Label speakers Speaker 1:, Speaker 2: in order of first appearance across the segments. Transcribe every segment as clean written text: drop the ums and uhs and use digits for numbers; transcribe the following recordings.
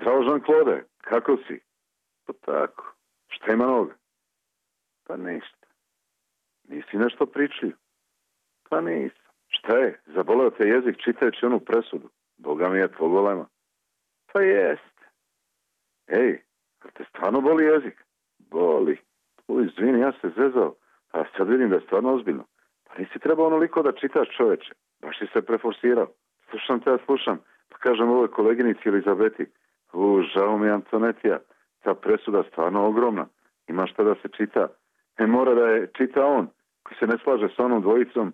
Speaker 1: Zdravo, Jean-Claude, kako si? Pa tako. Šta ima noga? Pa ništa. Nisi nešto pričao? Pa nisam. Šta je? Zaboleo te jezik čitajući onu presudu? Boga mi je tvoj golema. Pa jest. Ej, a te stvarno boli jezik? Boli. Izvini, ja se zezao. A sad vidim da je stvarno ozbiljno. Pa nisi trebao onoliko da čitaš, čoveče. Baš si se preforsirao. Slušam te, ja slušam. Pa kažem ovoj koleginici Elizabeti. Žao mi, Antonetija. Ta presuda stvarno ogromna. Ima šta da se čita. Mora da je čita on, koji se ne slaže sa onom dvojicom,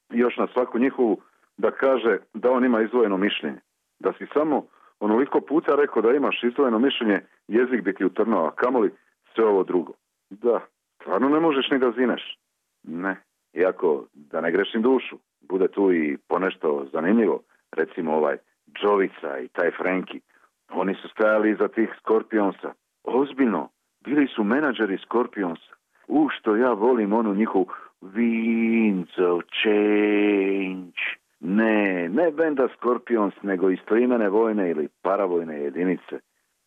Speaker 1: još na svaku njihovu da kaže da on ima izdvojeno mišljenje. Da si samo onoliko puta rekao da imaš izdvojeno mišljenje, jezik bi ti utrnao, a kamoli sve ovo drugo. Da, stvarno ne možeš ni da zineš. Ne, iako da ne grešim dušu, bude tu i ponešto zanimljivo, recimo ovaj Jovica i taj Frenki. Oni su stajali iza tih Scorpionsa. Ozbiljno, bili su menadžeri Scorpionsa. Što ja volim onu njihovu Winds of Change. Ne benda Scorpions, nego istoimene vojne ili paravojne jedinice.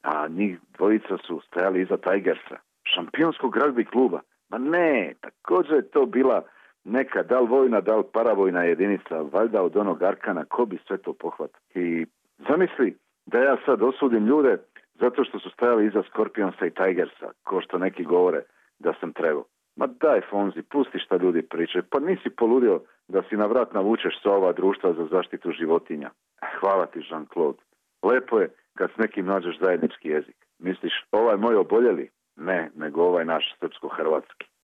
Speaker 1: A njih dvojica su stajali iza Tigersa, šampionskog ragbi kluba. Ma ne, također je to bila neka da li vojna, da li paravojna jedinica, valjda od onog Arkana, ko bi sve to pohvatao. I zamisli da ja sad osudim ljude zato što su stajali iza Scorpionsa i Tigersa, ko što neki govore da sam trebao. Ma daj, Fonzi, pusti šta ljudi pričaju. Pa nisi poludio da si na vrat navučeš sa ova društva za zaštitu životinja. Hvala ti, Jean-Claude. Lepo je kad s nekim nađeš zajednički jezik. Misliš, ovaj moj oboljeli? Ne, nego ovaj naš srpsko-hrvatski.